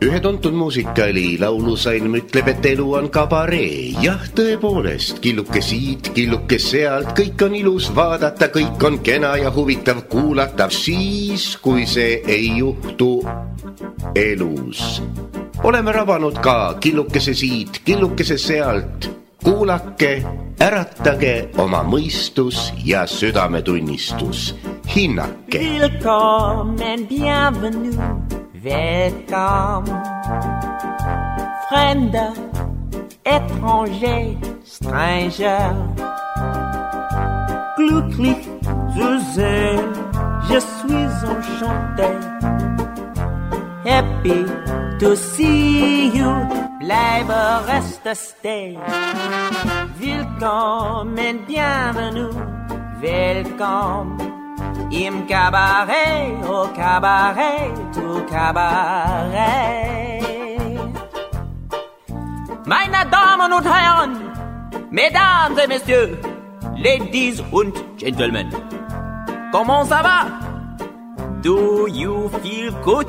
Ühe tuntud muusikali laulusalm ütleb, et elu on kabaree. Jah, tõepoolest, killuke siit, killuke sealt, kõik on ilus vaadata, kõik on kena ja huvitav kuulata. Siis, kui see ei juhtu elus. Oleme rabanud ka killukese siit, killukese sealt. Kuulake, äratage oma mõistus ja südametunnistus. Hinnake. Willkommen, bienvenue. Welcome, Fremder, étranger, stranger. Glücklich zu sehen, je suis enchanté. Happy to see you, bleibe reste stay. Willkommen, bienvenue, welcome. Im Cabaret, au Cabaret, tout Cabaret. Meine Damen und Herren, Mesdames et Messieurs, Ladies und Gentlemen, comment ça va? Do you feel good?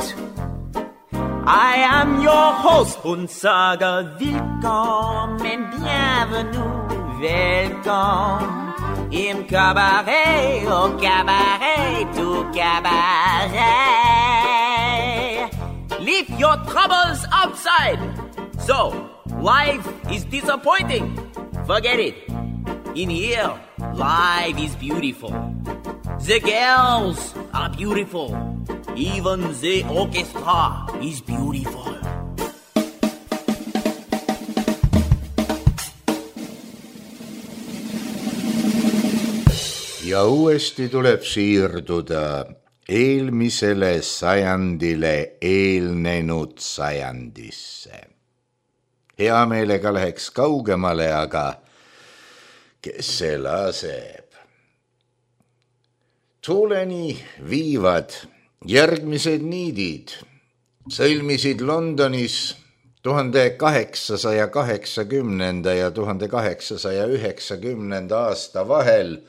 I am your host und sage willkommen, bienvenue, welcome. Im Cabaret, au Cabaret, tout Cabaret. Leave your troubles outside. So, life is disappointing. Forget it. In here, life is beautiful. The girls are beautiful. Even the orchestra is beautiful. Ja uuesti tuleb siirduda eelmisele sajandile eelnenud sajandisse. Hea meelega läheks kaugemale, aga kes see laseb? Tuuleni viivad järgmised niidid. Sõlmisid Londonis 1880 ja 1890 aasta vahel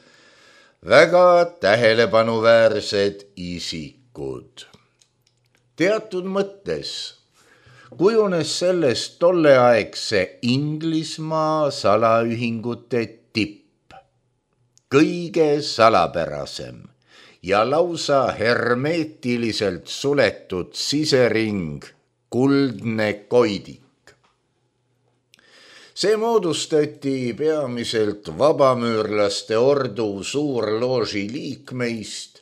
väga tähelepanuväärsed isikud. Teatud mõttes kujunes sellest tolleaegse Inglismaa salaühingute tipp, kõige salapärasem ja lausa hermeetiliselt suletud sisering, kuldne koidik. See moodustati peamiselt vabamüürlaste ordu suurlooži liikmeist,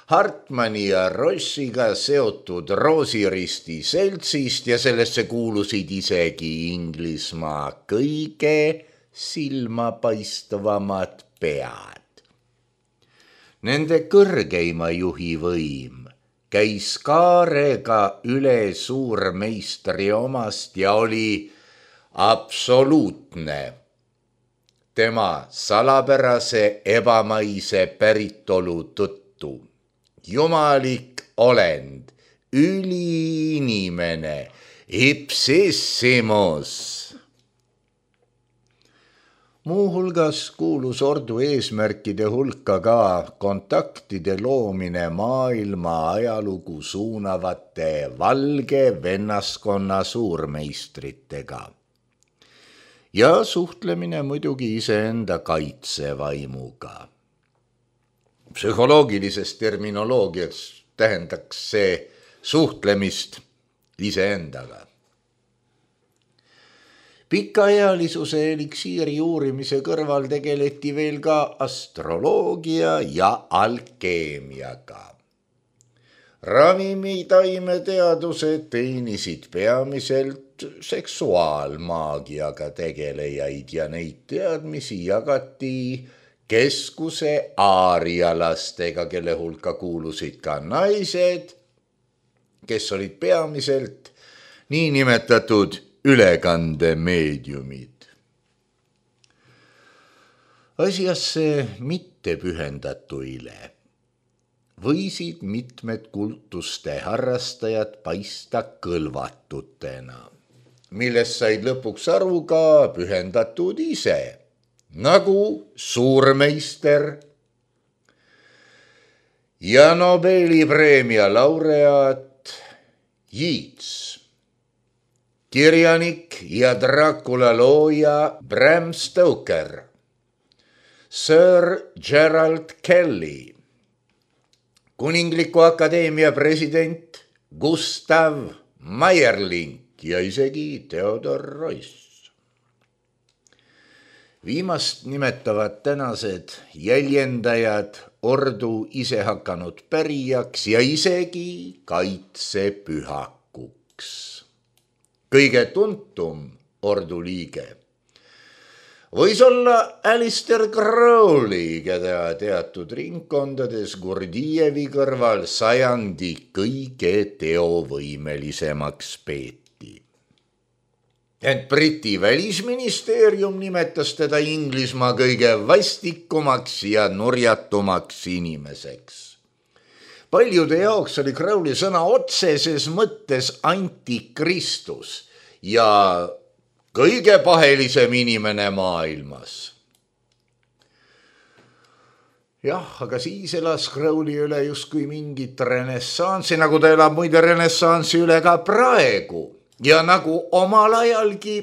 Hartmanni ja Rossiga seotud Roosiristi seltsist ja sellesse kuulusid isegi Inglismaa kõige silmapaistvamad pead. Nende kõrgeima juhi võim käis kaarega üle suurmeistri omast ja oli absoluutne. Tema salapärase ebamaise päritolu tõttu. Jumalik olend, üliinimene, ipsissimus. Muuhulgas kuulus ordu eesmärkide hulka ka kontaktide loomine maailma ajalugu suunavate valge vennaskonna suurmeistritega. Ja suhtlemine muidugi iseenda kaitsevaimuga. Psühholoogilises terminoloogias tähendaks see suhtlemist iseendaga. Pikaealisuse eliksiiri uurimise kõrval tegeleti veel ka astroloogia ja alkeemiaga. Ravimidaimeteadused teenisid peamiselt seksuaalmaagiaga tegelejaid ja neid teadmisi jagati keskuse aarialastega, kelle hulka kuulusid ka naised, kes olid peamiselt niinimetatud ülekandemeediumid. Asjasse mitte pühendatuile võisid mitmed kultuste harrastajad paista kõlvatutena, millest said lõpuks aru ka pühendatud ise, nagu suurmeister ja Nobeli preemia laureaat Yeats, kirjanik ja Dracula looja Bram Stoker, Sir Gerald Kelly, Kuningliku Akadeemia president Gustav Meierlink ja isegi Theodor Royce. Viimast nimetavad tänased jäljendajad ordu ise hakanud pärijaks ja isegi kaitsepühakuks. Kõige tuntum ordu liige võis olla Alistair Crowley, keda teatud ringkondades Gurdjieffi kõrval sajandi kõige teovõimelisemaks peeti. Ent Briti välisministeerium nimetas teda Inglismaa kõige vastikumaks ja nurjatumaks inimeseks. Paljude jaoks oli Crowley sõna otseses mõttes antikristus ja kõige pahelisem inimene maailmas. Jah, aga siis elas Crowley üle justkui mingit renessansi, nagu ta elab muide renessansi üle ka praegu. Ja nagu omal ajalgi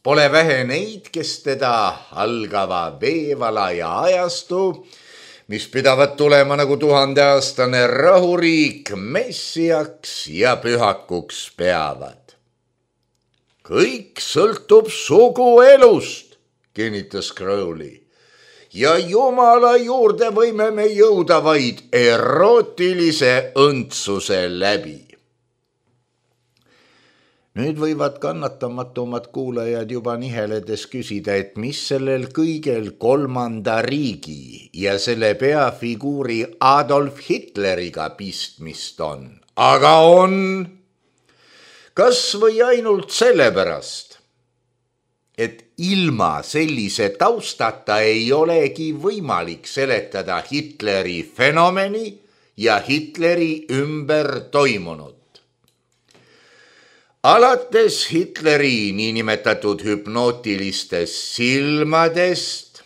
pole vähe neid, kes teda algava veevalaja ajastu, mis pidavat tulema nagu 1000-aastane rahuriik, messiaks ja pühakuks peavad. Kõik sõltub suguelust, kinnitas Crowley, ja Jumala juurde võime me jõuda vaid erootilise õndsuse läbi. Nüüd võivad kannatamatumad kuulajad juba niheledes küsida, et mis sellel kõigel kolmanda riigi ja selle peafiguuri Adolf Hitleriga pistmist on. Aga on... Kas või ainult sellepärast, et ilma sellise taustata ei olegi võimalik seletada Hitleri fenomeni ja Hitleri ümber toimunut. Alates Hitleri niinimetatud hüpnootilistest silmadest,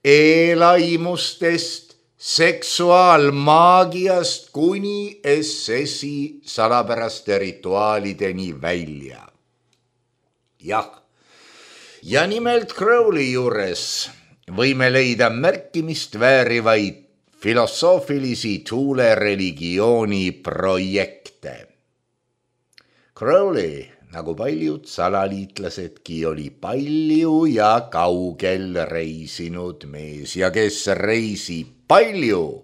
eelaimustest, seksuaalmaagiast kuni SS-i salapäraste rituaalideni välja. Jah, ja nimelt Crowley juures võime leida märkimist väärivaid filosoofilisi tuulereligiooni projekte. Crowley, nagu paljud salaliitlasedki, oli palju ja kaugel reisinud mees ja kes reisib palju,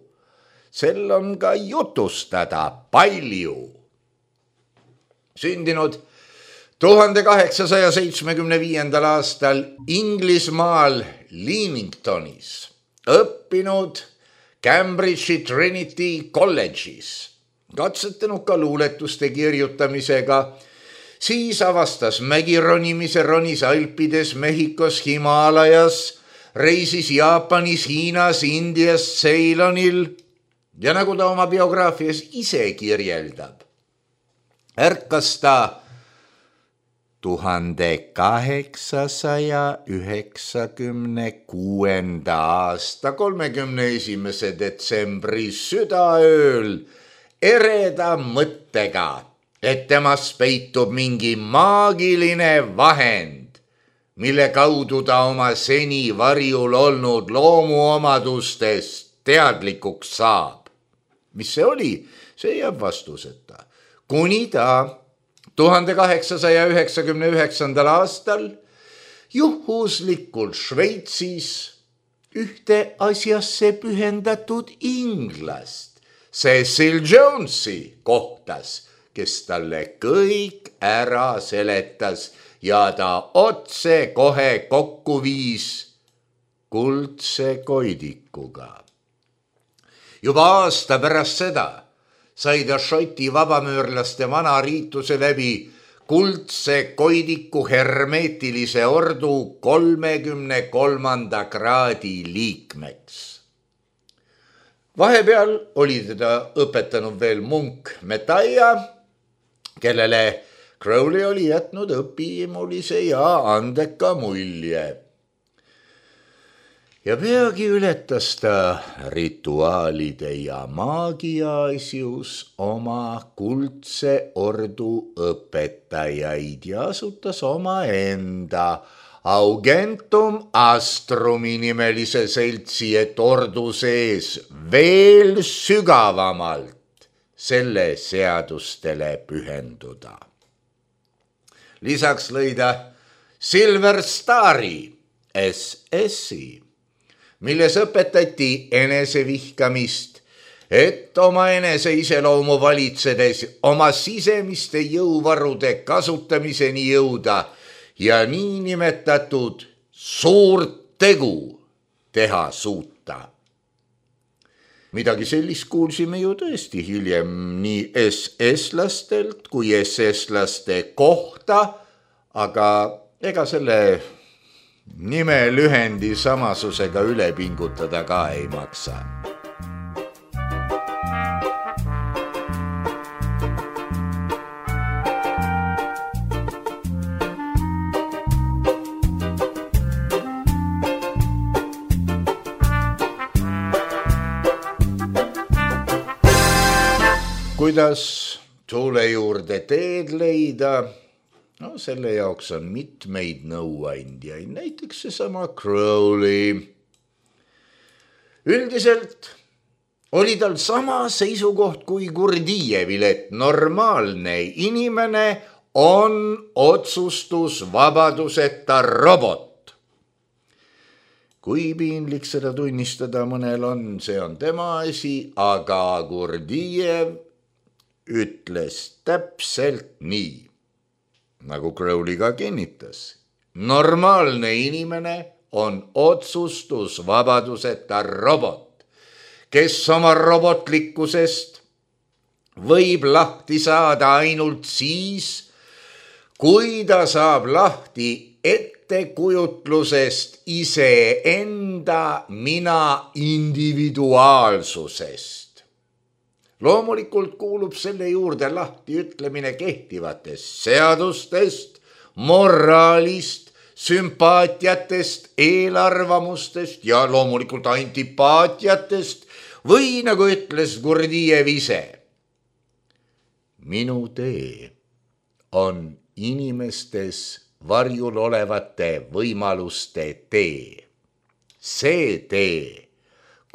sel on ka jutustada palju. Sündinud 1875. aastal Inglismaal Leamingtonis, õppinud Cambridge'i Trinity College'is, katsetanud ka luuletuste kirjutamisega, siis avastas mägironimise, ronis Alpides, Mehhikos, Himaalajas, reisis Jaapanis, Hiinas, Indias, Ceylonil ja nagu ta oma biograafias ise kirjeldab, ärkas ta 1896. aasta 31. detsembri südaööl ereda mõttega, et temas peitub mingi maagiline vahend, mille kaudu ta oma seni varjul olnud loomuomadustest teadlikuks saab. Mis see oli? See jääb vastuseta. Kuni ta 1899. aastal juhuslikult Šveitsis ühte asjasse pühendatud inglast, Cecil Jonesi kohtas, kes talle kõik ära seletas ja ta otse kohe kokku viis kuldse koidikuga. Juba aasta pärast seda sai ta Šoti vabamöörlaste vana riituse läbi kuldse koidiku hermeetilise ordu 33. kraadi liikmeks. Vahepeal oli teda õpetanud veel munk Metaja, kellele Crowley oli jätnud õpimulise ja andeka mulje. ja peagi ületas ta rituaalide ja maagia asjus oma kuldse ordu õpetajaid ja asutas omaenda Augentum Astrumi nimelise seltsi, et ordu sees veel sügavamalt selle seadustele pühenduda. Lisaks lõi ta Silver Stari SS-i, milles õpetati enesevihkamist, et oma enese iseloomu valitsedes oma sisemiste jõuvarude kasutamiseni jõuda ja niinimetatud suurt tegu teha suuta. Midagi sellist kuulsime ju tõesti hiljem nii SS-lastelt kui SS-laste kohta, aga ega selle nime lühendi samasusega üle pingutada ka ei maksa. Kuidas tuule juurde teed leida? No selle jaoks on mitmeid nõuandjaid, näiteks seesama Crowley. Üldiselt oli tal sama seisukoht kui Gurdjijevil, et normaalne inimene on otsustusvabaduseta robot. Kui piinlik seda tunnistada mõnel on, see on tema asi, aga Gurdjijev ütles täpselt nii, nagu Crowley ka kinnitas. Normaalne inimene on otsustusvabaduseta robot, kes oma robotlikkusest võib lahti saada ainult siis, kui ta saab lahti ettekujutlusest iseenda mina individuaalsusest. Loomulikult kuulub selle juurde lahti ütlemine kehtivatest seadustest, moraalist, sümpaatiatest, eelarvamustest ja loomulikult antipaatiatest või nagu ütles Gurdjijev ise. Minu tee on inimestes varjul olevate võimaluste tee. See tee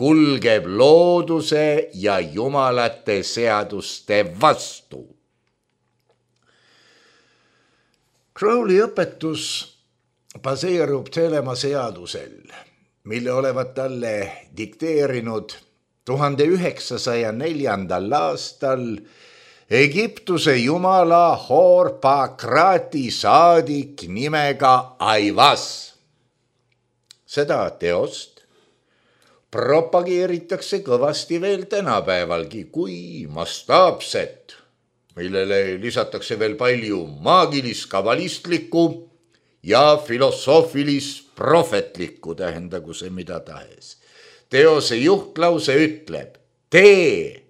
kulgeb looduse ja jumalate seaduste vastu. Crowley õpetus baseerub Telema seadusel, mille olevat talle dikteerinud 1904. aastal Egiptuse jumala Horpakrati saadik nimega Aivas. Seda teost propageeritakse kõvasti veel tänapäevalgi kui mastaapset, millele lisatakse veel palju maagilis-kabalistlikku ja filosoofilis-prohvetlikku, tähendagu see mida tahes. Teose juhtlause ütleb, tee,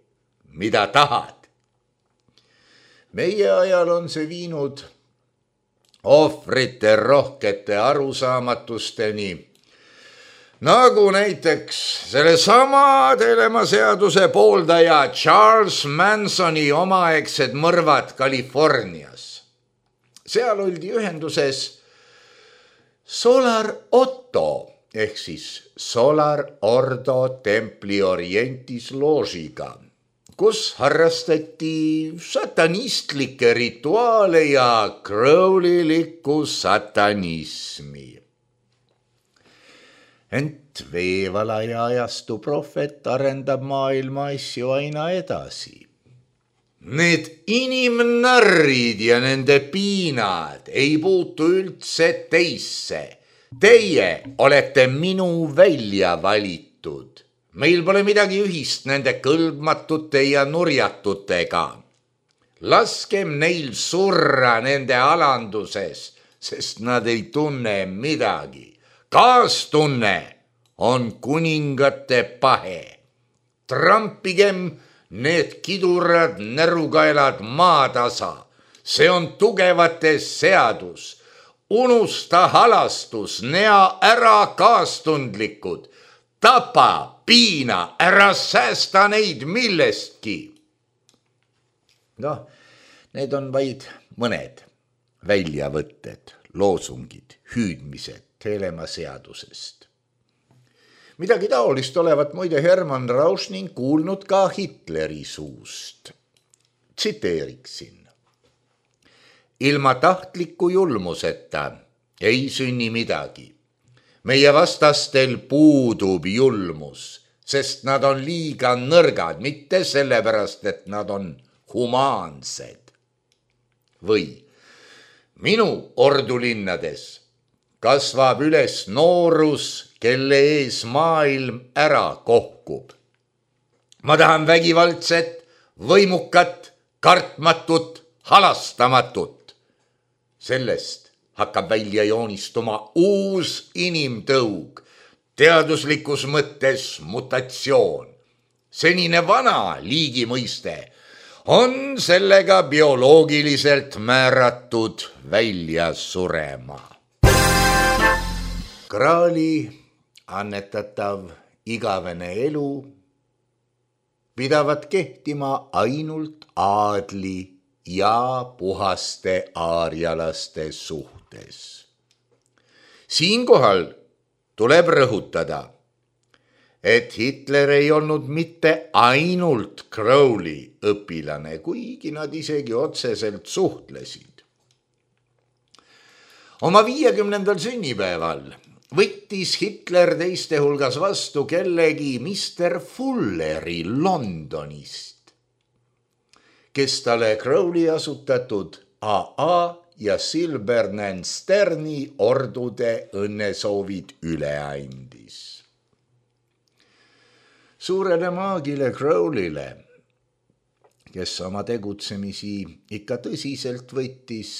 mida tahad. Meie ajal on see viinud ohvrite rohkete arusaamatusteni, nagu näiteks sellesama Telema seaduse pooldaja Charles Mansoni omaaegsed mõrvad Californias. Seal oldi ühenduses Solar Otto ehk siis Solar Ordo Templi Orientis loožiga, kus harrastati satanistlikke rituaale ja crowleylikku satanismi. Ent veevalaja ajastu prohvet arendab maailma asju aina edasi. Need inimnarrid ja nende piinad ei puutu üldse teisse. Teie olete minu välja valitud. Meil pole midagi ühist nende kõlbmatute ja nurjatutega. Laskem neil surra nende alanduses, sest nad ei tunne midagi. Kaastunne on kuningate pahe. Trampigem need kidurad närukaelad maatasa. See on tugevate seadus. unusta halastus, nea ära kaastundlikud, tapa, piina, ära säästa neid millestki. Noh, need on vaid mõned väljavõtted, loosungid, hüüdmised Helema seadusest. Midagi taolist olevat muide Hermann Rauschning kuulnud ka Hitleri suust. Tsiteeriksin. Ilma tahtliku julmuseta ei sünni midagi. Meie vastastel puudub julmus, sest nad on liiga nõrgad, mitte sellepärast, et nad on humaansed. Või minu ordulinnades kasvab üles noorus, kelle ees maailm ära kohkub. Ma tahan vägivaldset, võimukat, kartmatut, halastamatut. Sellest hakkab välja joonistuma uus inimtõug, teaduslikus mõttes mutatsioon. Senine vana liigimõiste on sellega bioloogiliselt määratud välja surema. Kraali annetatav igavene elu pidavat kehtima ainult aadli ja puhaste aarjalaste suhtes. Siinkohal tuleb rõhutada, et Hitler ei olnud mitte ainult Crowley õpilane, kuigi nad isegi otseselt suhtlesid. Oma 50. sünnipäeval võttis Hitler teiste hulgas vastu kellegi Mr. Fulleri Londonist, kes talle Crowley asutatud AA ja Silbernen Sterni ordude õnnesoovid üle andis. Suurele maagile Crowleyle, kes oma tegutsemisi ikka tõsiselt võttis,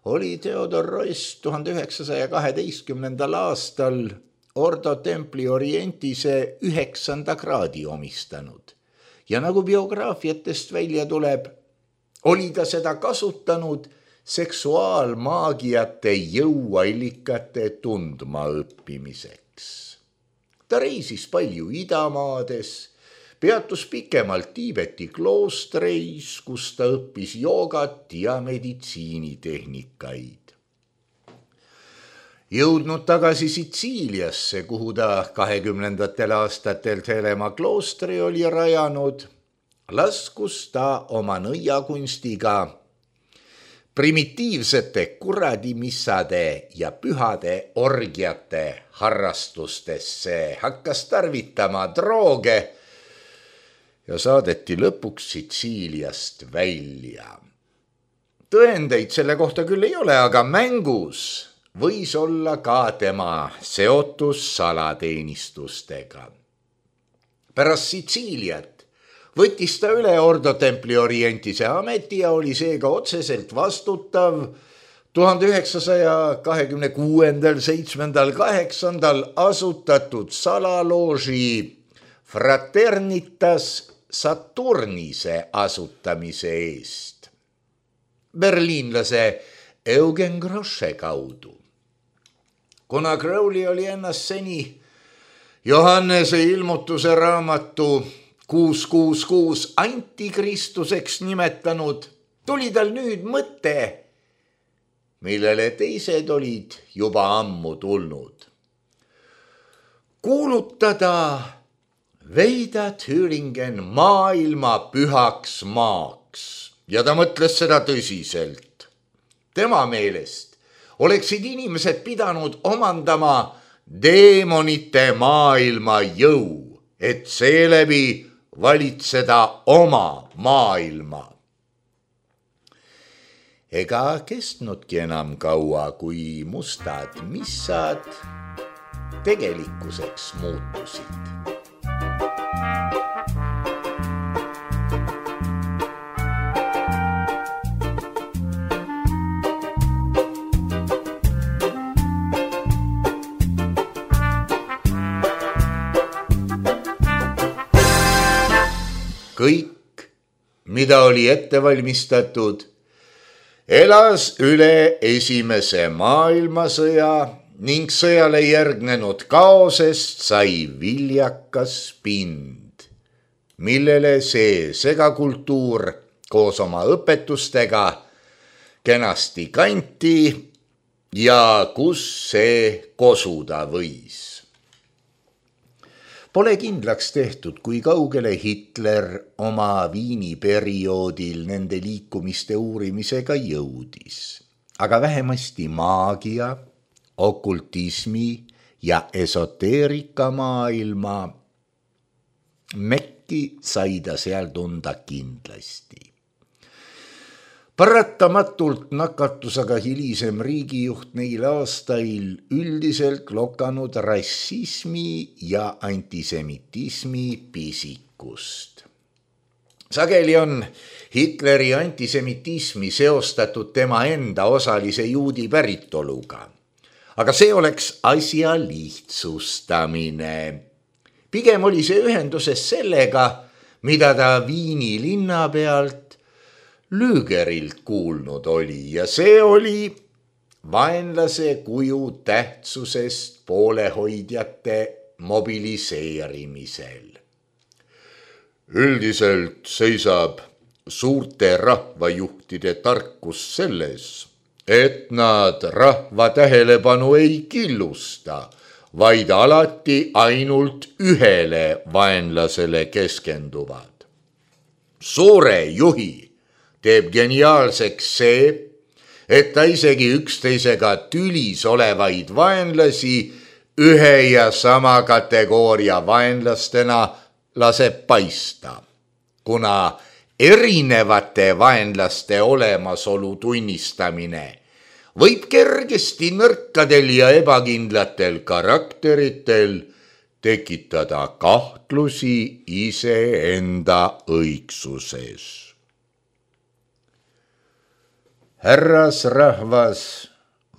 oli Theodor Roest 1912. aastal Ordo Templi Orientise 9. kraadi omistanud. Ja nagu biograafiatest välja tuleb, oli ta seda kasutanud seksuaalmaagiate jõuallikate tundmaõppimiseks. Ta reisis palju idamaades, peatus pikemalt Tiibeti kloostreis, kus ta õppis joogat ja meditsiinitehnikaid. Jõudnud tagasi Sitsiiliasse, kuhu ta 20. aastatel Helema kloostri oli rajanud, laskus ta oma nõiakunstiga primitiivsete kuradimissade ja pühade orgiate harrastustesse, hakkas tarvitama drooge ja saadeti lõpuks Sitsiiliast välja. Tõendeid selle kohta küll ei ole, aga mängus võis olla ka tema seotus salateenistustega. Pärast Sitsiiliat võttis ta üle Ordo Templi Orientise ameti ja oli seega otseselt vastutav 1926., 7., 8. asutatud salalooži Fraternitas Saturnise asutamise eest berliinlase Eugen Grosche kaudu. Kuna Crowley oli ennast seni Johannese ilmutuse raamatu 666 antikristuseks nimetanud, tuli tal nüüd mõte, millele teised olid juba ammu tulnud. Kuulutada Veida Thüringen maailma pühaks maaks ja ta mõtles seda tõsiselt. Tema meelest oleksid inimesed pidanud omandama deemonite maailma jõu, et seeläbi valitseda oma maailma. Ega kestnudki enam kaua, kui mustad missad tegelikkuseks muutusid. Kõik, mida oli ette valmistatud, elas üle Esimese maailmasõja ning sõjale järgnenud kaosest sai viljakas pind, millele see segakultuur koos oma õpetustega kenasti kanti ja kus see kosuda võis. Pole kindlaks tehtud, kui kaugele Hitler oma Viini perioodil nende liikumiste uurimisega jõudis, aga vähemasti maagia, okultismi ja esoteerika maailma mekki sai ta seal tunda kindlasti. Paratamatult nakatus aga hilisem riigijuht neil aastail üldiselt lokanud rassismi ja antisemitismi pisikust. Sageli on Hitleri antisemitismi seostatud tema enda osalise juudi päritoluga, aga see oleks asja lihtsustamine. Pigem oli see ühenduses sellega, mida ta Viini linna pealt Lügerilt kuulnud oli, ja see oli vaenlase kuju tähtsusest poolehoidjate mobiliseerimisel. Üldiselt seisab suurte rahvajuhtide tarkus selles, et nad rahva tähelepanu ei killusta, vaid alati ainult ühele vaenlasele keskenduvad. Suure juhi teeb geniaalseks see, et ta isegi üksteisega tülis olevaid vaenlasi ühe ja sama kategooria vaenlastena laseb paista, kuna erinevate vaenlaste olemasolu tunnistamine võib kergesti nõrkadel ja ebakindlatel karakteritel tekitada kahtlusi iseenda õigsuses. Härrasrahvas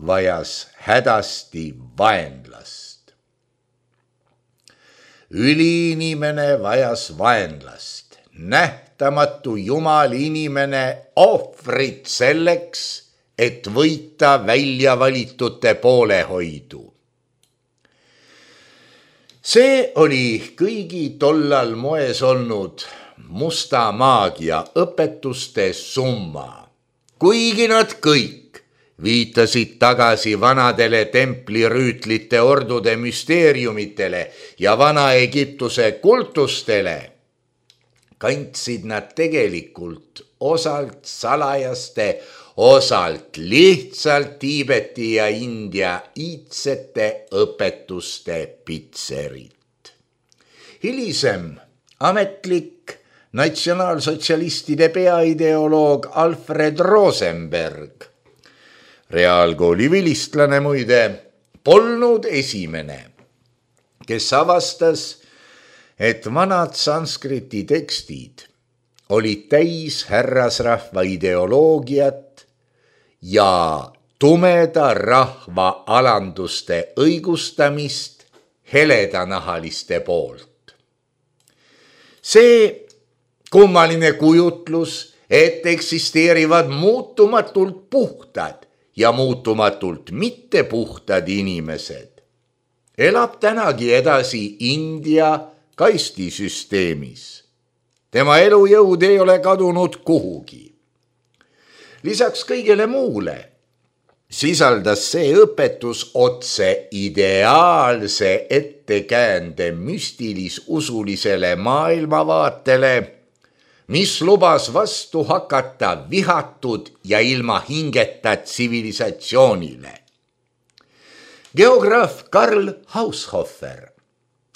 vajas hädasti vaenlast. Üliinimene vajas vaenlast. Nähtamatu jumal inimene ohvrit selleks, et võita välja valitute poolehoidu. See oli kõigi tollal moes olnud musta maagia õpetuste summa. Kuigi nad kõik viitasid tagasi vanadele templirüütlite ordude müsteeriumitele ja Vana-Egiptuse kultustele, kandsid nad tegelikult osalt salajaste, osalt lihtsalt Tiibeti ja India iidsete õpetuste pitserit. Hilisem ametlik natsionaalsotsialistide peaideoloog Alfred Rosenberg, reaalkooli vilistlane muide, polnud esimene, kes avastas, et vanad sanskriti tekstid olid täis härrasrahva ideoloogiat ja tumeda rahva alanduste õigustamist heledanahaliste poolt. See kummaline kujutlus, et eksisteerivad muutumatult puhtad ja muutumatult mittepuhtad inimesed, elab tänagi edasi India kastisüsteemis. Tema elujõud ei ole kadunud kuhugi. Lisaks kõigele muule sisaldas see õpetus otse ideaalse ettekäände müstilis-usulisele maailmavaatele, mis lubas vastu hakata vihatud ja ilma hingeta tsivilisatsioonile. Geograaf Karl Haushofer,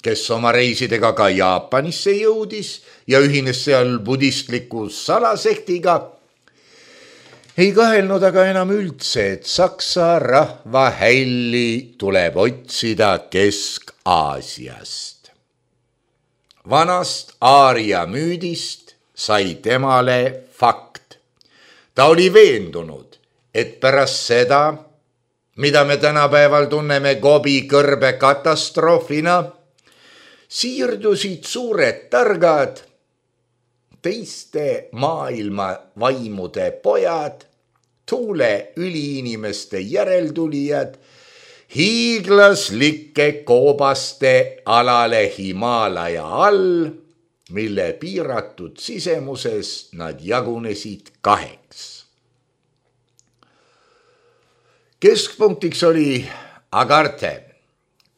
kes oma reisidega ka Jaapanisse jõudis ja ühines seal budistliku salasektiga, ei kahelnud aga enam üldse, et saksa rahva hälli tuleb otsida Kesk-Aasiast. Vanast Aaria müüdist sai temale fakt. Ta oli veendunud, et pärast seda, mida me tänapäeval tunneme Gobi kõrbe katastroofina, siirdusid suured targad, teiste maailma vaimude pojad tuule üliinimeste järeltulijad hiiglaslike koobaste alale Himaalaja all, mille piiratud sisemuses nad jagunesid 2. Keskpunktiks oli Agarte,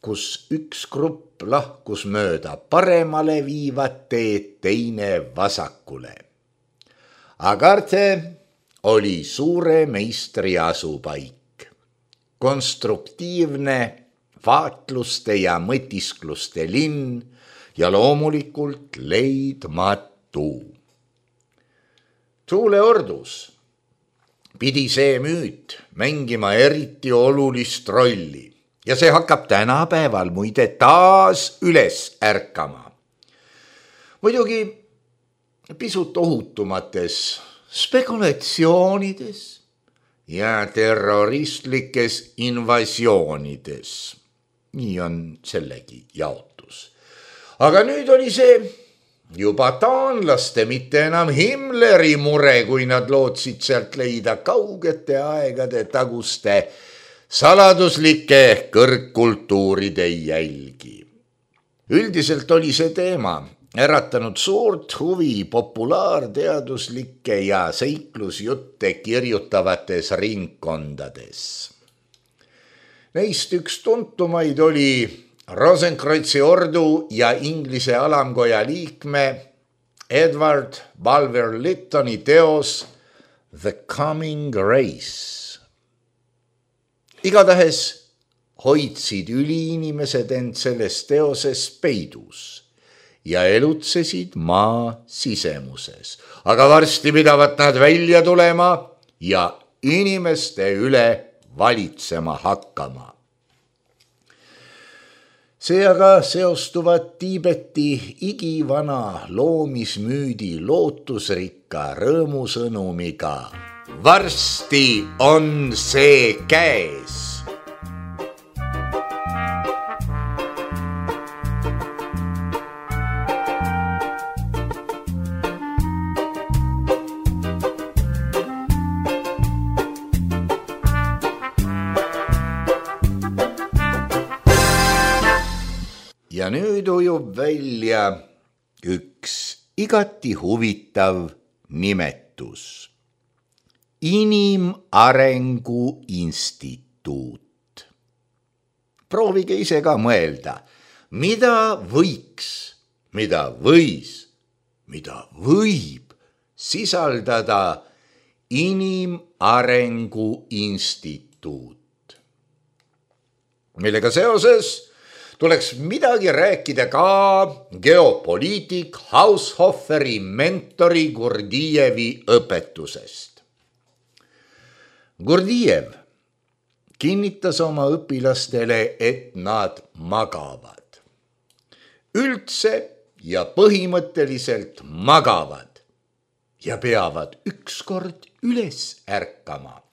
kus üks grupp lahkus mööda paremale viivat teed, teine vasakule. Agarte oli suure meistri asupaik, konstruktiivne vaatluste ja mõtiskluste linn ja loomulikult leidmatu. Tuuleordus pidi see müüt mängima eriti olulist rolli ja see hakkab tänapäeval muide taas üles ärkama. Muidugi pisut ohutumates spekulatsioonides ja terroristlikes invasioonides. Nii on sellegi jaotus. Aga nüüd oli see juba taanlaste, mitte enam Himmleri mure, kui nad lootsid sealt leida kaugete aegade taguste saladuslike kõrgkultuuride jälgi. Üldiselt oli see teema äratanud suurt huvi populaarteaduslike ja seiklusjutte kirjutavates ringkondades. Neist üks tuntumaid oli Rosenkrantzi ordu ja Inglise alamkoja liikme Edward Bulwer Lyttoni teos The Coming Race. Igatahes hoidsid üliinimesed end selles teoses peidus ja elutsesid maa sisemuses, aga varsti pidavat nad välja tulema ja inimeste üle valitsema hakkama. See aga seostuvad Tiibeti igivana loomismüüdi lootusrikka rõõmusõnumiga. Varsti on see käes. Ja nüüd ujub välja üks igati huvitav nimetus. Inimarengu instituut. Proovige ise ka mõelda, mida võiks, mida võis, mida võib sisaldada inimarengu instituut. Millega seoses tuleks midagi rääkida ka geopoliitik Haushoferi mentori Gurdjijevi õpetusest. Gurdjijev kinnitas oma õpilastele, et nad magavad. Üldse ja põhimõtteliselt magavad ja peavad ükskord üles ärkama.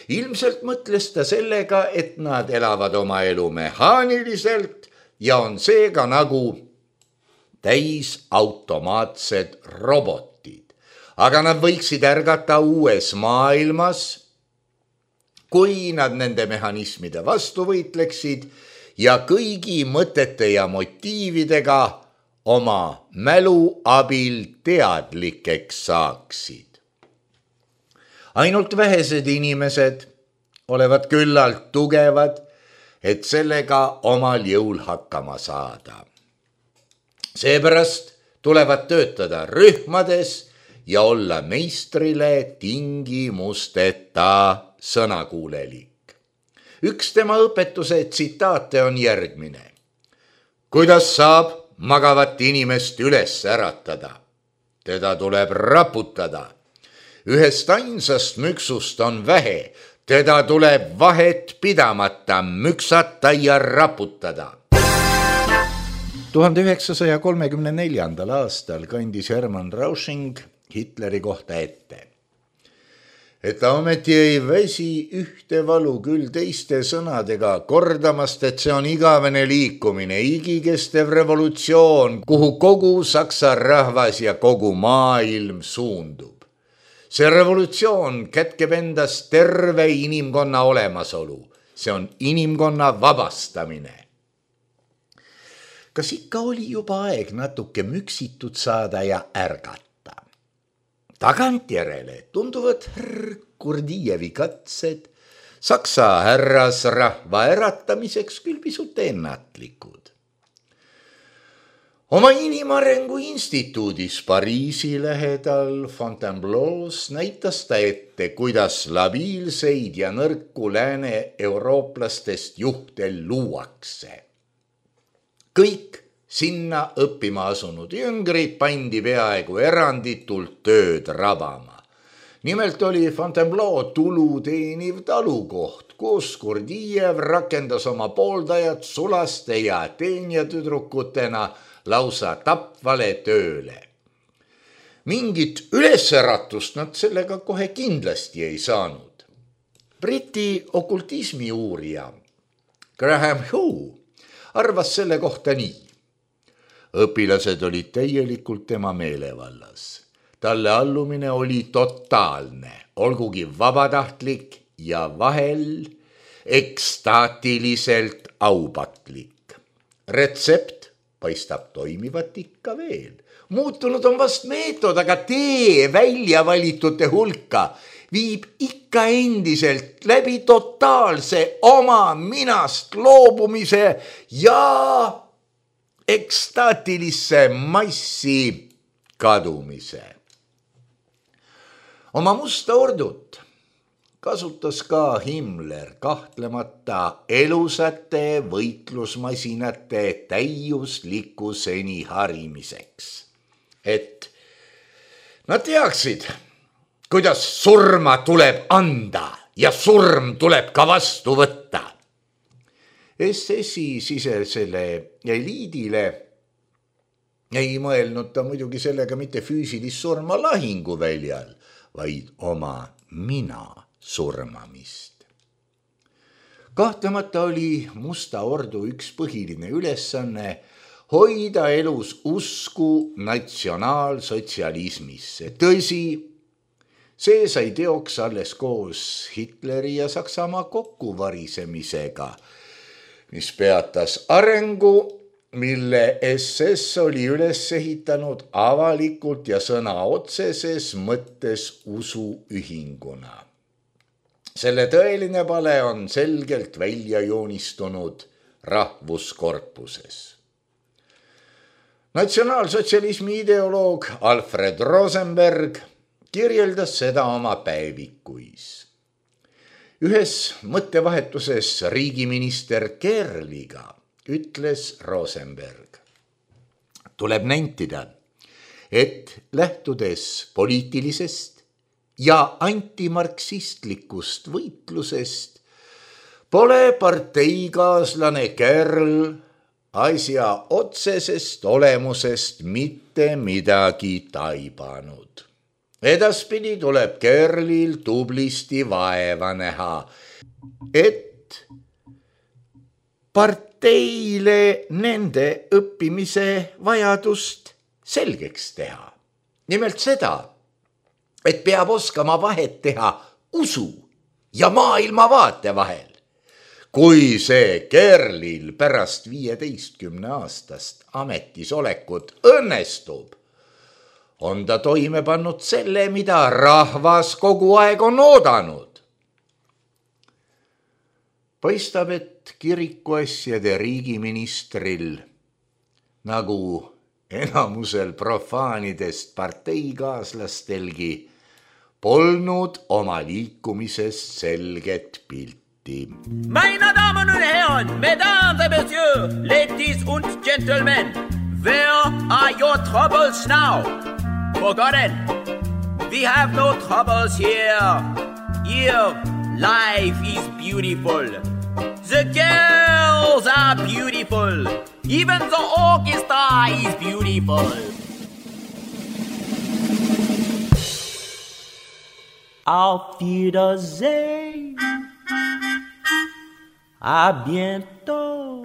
Ilmselt mõtles ta sellega, et nad elavad oma elu mehaaniliselt ja on seega nagu täisautomaatsed robotid. Aga nad võiksid ärgata uues maailmas, kui nad nende mehhanismide vastu võitleksid ja kõigi mõtete ja motiividega oma mälu abil teadlikeks saaksid. Ainult vähesed inimesed olevat küllalt tugevad, et sellega omal jõul hakkama saada. Seepärast tulevad töötada rühmades ja olla meistrile tingimusteta sõnakuulelik. Üks tema õpetuse tsitaate on järgmine. Kuidas saab magavat inimest üles äratada? Teda tuleb raputada. Ühest ainsast müksust on vähe, teda tuleb vahet pidamata müksata ja raputada. 1934. aastal kandis Hermann Rausching Hitleri kohta ette, et ta ometi ei väsi ühte valu küll teiste sõnadega kordamast, et see on igavene liikumine, igikestev revolutsioon, kuhu kogu saksa rahvas ja kogu maailm suundub. See revolutsioon kätkeb endas terve inimkonna olemasolu. See on inimkonna vabastamine. Kas ikka oli juba aeg natuke müksitud saada ja ärgata? Tagantjärele tunduvad Kurdijevi katsed Saksa härrasrahva äratamiseks küll pisut ennatlikud. Oma Inimarengu instituudis Pariisi lähedal Fontainebleaus näitas ta ette, kuidas labiilseid ja nõrku lääne eurooplastest juhte luuakse. Kõik sinna õppima asunud jüngrid pandi peaaegu eranditult tööd rabama. Nimelt oli Fontainebleau tulu teeniv talukoht, kus Kurdijev rakendas oma pooldajad sulaste ja teenijatüdrukutena lausa tapvale tööle. Mingit ülesäratust nad sellega kohe kindlasti ei saanud. Briti okultismi uurija Graham Hugh arvas selle kohta nii. Õpilased olid täielikult tema meelevallas. Talle allumine oli totaalne, olgugi vabatahtlik ja vahel ekstaatiliselt aupatlik. Retsept paistab toimivat ikka veel. Muutunud on vast meetod, aga tee välja valitute hulka viib ikka endiselt läbi totaalse oma minast loobumise ja ekstaatilisse massi kadumise. Oma musta ordut kasutas ka Himmler kahtlemata elusate võitlusmasinate täiuslikkuseni harimiseks. Et nad teaksid, kuidas surma tuleb anda ja surm tuleb ka vastu võtta. SS-i sisesele eliidile ei mõelnud ta muidugi sellega mitte füüsilist surma lahinguväljal, vaid oma mina surmamist. Kahtlemata oli Musta Ordu üks põhiline ülesanne hoida elus usku natsionaalsotsialismisse. Tõsi, see sai teoks alles koos Hitleri ja Saksamaa kokkuvarisemisega, mis peatas arengu, mille SS oli üles ehitanud avalikult ja sõna otseses mõttes usuühinguna. Selle tõeline pale on selgelt välja joonistunud rahvuskorpuses. Natsionaalsotsialismi ideoloog Alfred Rosenberg kirjeldas seda oma päevikuis. Ühes mõttevahetuses riigiminister Kerliga ütles Rosenberg. Tuleb nentida, et lähtudes poliitilisest ja antimarksistlikust võitlusest pole parteikaaslane Kerl asja otsesest olemusest mitte midagi taibanud. Edaspidi tuleb Kerlil tublisti vaeva näha, et parteile nende õppimise vajadust selgeks teha. Nimelt seda, et peab oskama vahet teha usu ja maailmavaate vahel. Kui see Kerlil pärast 15 aastast ametisolekut õnnestub, on ta toime pannud selle, mida rahvas kogu aeg on oodanud. Paistab, et kirikuasjade riigiministril, nagu enamusel profaanidest parteikaaslastelgi, polnud oma liikumisest selget pilti. Meine Damen und Herren, Mesdames et Messieurs, ladies und gentlemen, where are your troubles now? Forgotten, we have no troubles here. Here, life is beautiful. The girls are beautiful. Even the orchestra is beautiful. Auf Wiedersehen. À bientôt.